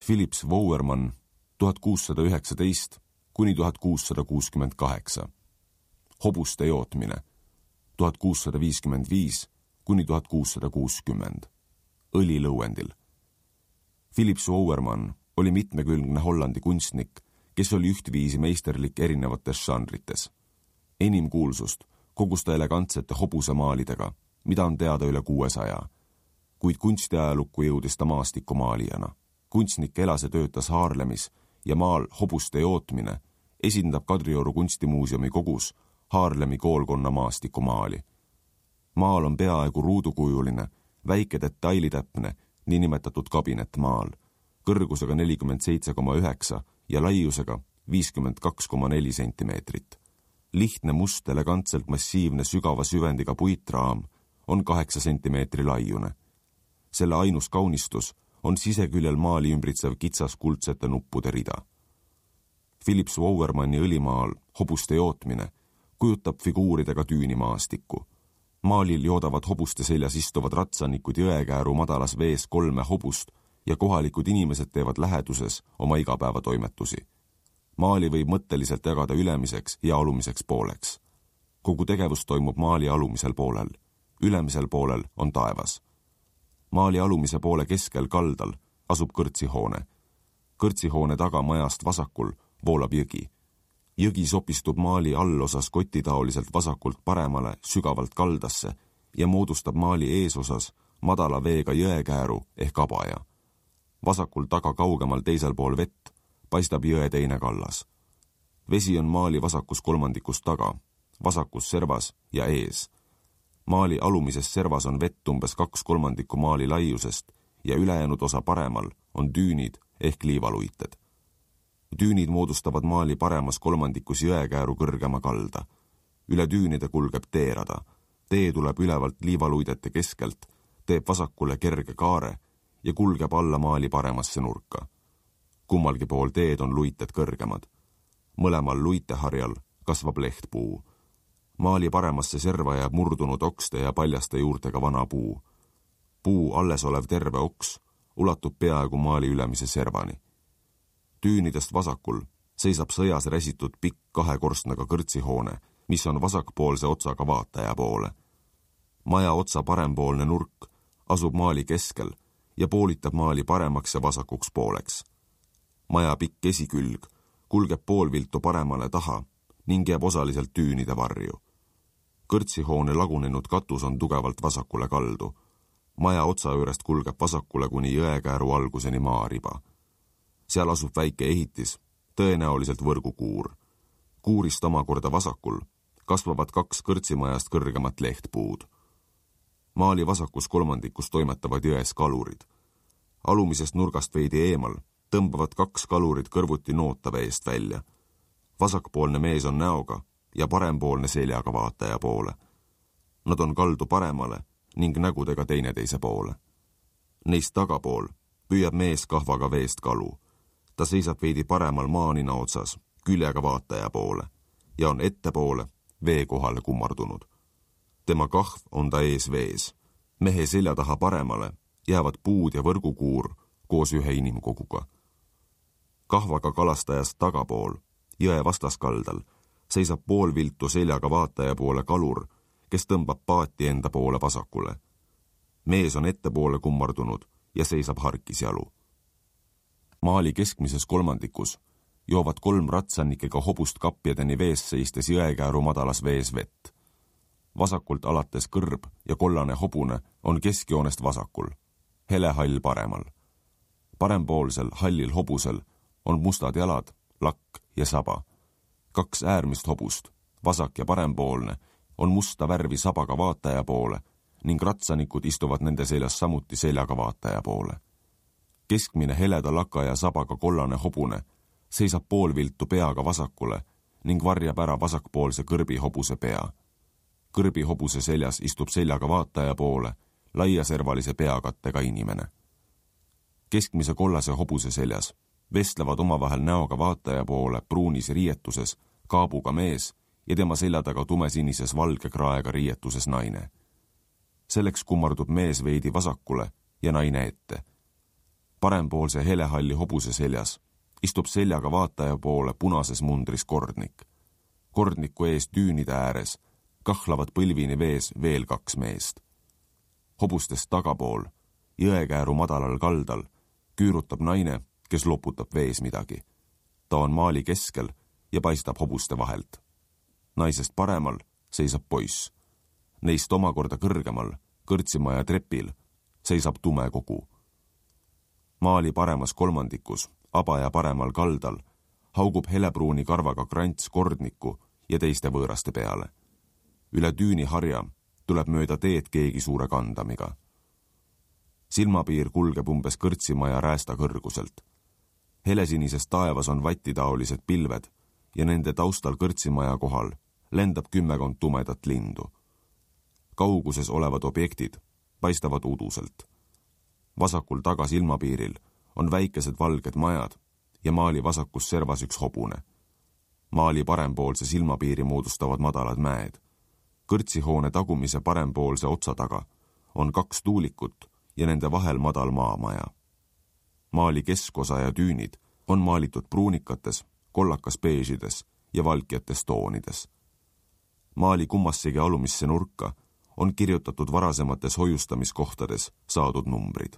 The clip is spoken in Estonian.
Philips Wouwermann 1619 kuni 1668. Hobuste jootmine 1655 kuni 1660. Õlilõuendil. Philips Wouwermann oli mitmekülgne Hollandi kunstnik, kes oli ühtviisi meisterlik erinevates žanrites. Enim kuulsust kogus ta elegantsete hobusemaalidega, mida on teada üle 600, kuid kunstiajalukku jõudis ta maastikumaalijana. Kunstnik elas ja töötas Haarlemis ja maal Hobuste jootmine esindab Kadrioru kunstimuuseumi kogus Haarlemi koolkonna maastikumaali. Maal on peaaegu ruudukujuline, väike detailitäpne, niinimetatud kabinetmaal, kõrgusega 47,9 ja laiusega 52,4 sentimeetrit. Lihtne must, elegantselt massiivne sügava süvendiga puitraam on 8 sentimeetri laiune. Selle ainus kaunistus on siseküljel maali ümbritsev kitsas kuldsete nuppude rida. Philips Wouwermanni õlimaal Hobuste jootmine kujutab figuuridega tüünimaastikku. Maalil joodavad hobuste seljas istuvad ratsanikud jõekääru madalas vees 3 hobust ja kohalikud inimesed teevad läheduses oma igapäevatoimetusi. Maali võib mõtteliselt jagada ülemiseks ja alumiseks pooleks. Kogu tegevus toimub maali alumisel poolel. Ülemisel poolel on taevas. Maali alumise poole keskel kaldal asub kõrtsihoone. Kõrtsihoone taga majast vasakul voolab jõgi. Jõgi sopistub maali allosas kotitaoliselt vasakult paremale sügavalt kaldasse ja moodustab maali eesosas madala veega jõekääru ehk abaja. Vasakul taga kaugemal teisel pool vett paistab jõe teine kallas. Vesi on maali vasakus kolmandikus taga, vasakus servas ja ees. Maali alumises servas on vett umbes 2/3 maali laiusest ja ülejäänud osa paremal on düünid ehk liivaluited. Düünid moodustavad maali paremas kolmandikus jõekääru kõrgema kalda. Üle düünide kulgeb teerada. Tee tuleb ülevalt liivaluidete keskelt, teeb vasakule kerge kaare ja kulgeb alla maali paremasse nurka. Kummalgi pool teed on luited kõrgemad. Mõlemal luiteharjal kasvab lehtpuu. Maali paremasse serva jääb murdunud okste ja paljaste juurtega vana puu. Puu alles olev terve oks ulatub peaaegu maali ülemise servani. Tüünidest vasakul seisab sõjas räsitud pikk 2 korstnaga kõrtsihoone, mis on vasakpoolse otsaga vaataja poole. Maja otsa parempoolne nurk asub maali keskel ja poolitab maali paremaks ja vasakuks pooleks. Maja pikk esikülg kulgeb poolviltu paremale taha ning jääb osaliselt tüünide varju. Kõrtsihoone lagunenud katus on tugevalt vasakule kaldu. Maja otsa juurest kulgeb vasakule kuni jõekääru alguseni maariba. Seal asub väike ehitis, tõenäoliselt võrgukuur. Kuurist omakorda vasakul kasvavad 2 kõrtsimajast kõrgemat lehtpuud. Maali vasakus kolmandikus toimetavad jões kalurid. Alumisest nurgast veidi eemal tõmbavad 2 kalurid kõrvuti noota veest välja. Vasakpoolne mees on näoga ja parempoolne seljaga vaataja poole. Nad on kaldu paremale ning nägudega teineteise poole. Neist tagapool püüab mees kahvaga veest kalu. Ta seisab veidi paremal maanina otsas, küljega vaataja poole ja on ettepoole vee kohale kummardunud. Tema kahv on ta ees vees. Mehe selja taha paremale jäävad puud ja võrgukuur koos ühe inimkoguga. Kahvaga kalastajast tagapool, jõe vastaskaldal, seisab poolviltu seljaga vaataja poole kalur, kes tõmbab paati enda poole vasakule. Mees on ettepoole kummardunud ja seisab harkisjalu. Maali keskmises kolmandikus joovad 3 ratsannikega hobust kapjadeni vees seistes jõekääru madalas vees vett. Vasakult alates kõrb ja kollane hobune on keskjoonest vasakul, helehall paremal. Parempoolsel hallil hobusel on mustad jalad, lakk ja saba. 2 äärmist hobust, vasak ja parempoolne, on musta värvi sabaga vaataja poole ning ratsanikud istuvad nende seljas samuti seljaga vaataja poole. Keskmine heleda laka ja sabaga kollane hobune seisab poolviltu peaga vasakule ning varjab ära vasakpoolse kõrbi hobuse pea. Kõrbi hobuse seljas istub seljaga vaataja poole laiaservalise peakattega inimene. Keskmise kollase hobuse seljas vestlevad omavahel näoga vaataja poole pruunis riietuses kaabuga mees ja tema selja taga tumesinises valge kraega riietuses naine. Selleks kummardub mees veidi vasakule ja naine ette. Parempoolse helehalli hobuse seljas istub seljaga vaataja poole punases mundris kordnik. Kordniku ees düünide ääres kahlavad põlvini vees veel 2 meest. Hobustest tagapool, jõekääru madalal kaldal, küürutab naine, kes loputab vees midagi. Ta on maali keskel ja paistab hobuste vahelt. Naisest paremal seisab poiss. Neist omakorda kõrgemal, kõrtsimaja trepil, seisab tume kogu. Maali paremas kolmandikus, abaja paremal kaldal, haugub helepruuni karvaga krants kordniku ja teiste võõraste peale. Üle düüni harja tuleb mööda teed keegi suure kandamiga. Silmapiir kulgeb umbes kõrtsimaja räästa kõrguselt. Helesinises taevas on vatitaolised pilved ja nende taustal kõrtsimaja kohal lendab 10 tumedat lindu. Kauguses olevad objektid paistavad uduselt. Vasakul taga silmapiiril on väikesed valged majad ja maali vasakus servas üks hobune. Maali parempoolse silmapiiri moodustavad madalad mäed. Kõrtsihoone tagumise parempoolse otsa taga on 2 tuulikut ja nende vahel madal maamaja. Maali keskosa ja düünid on maalitud pruunikates, kollakas beežides ja valkjates toonides. Maali kummassegi alumisse nurka on kirjutatud varasemates hoiustamiskohtades saadud numbrid.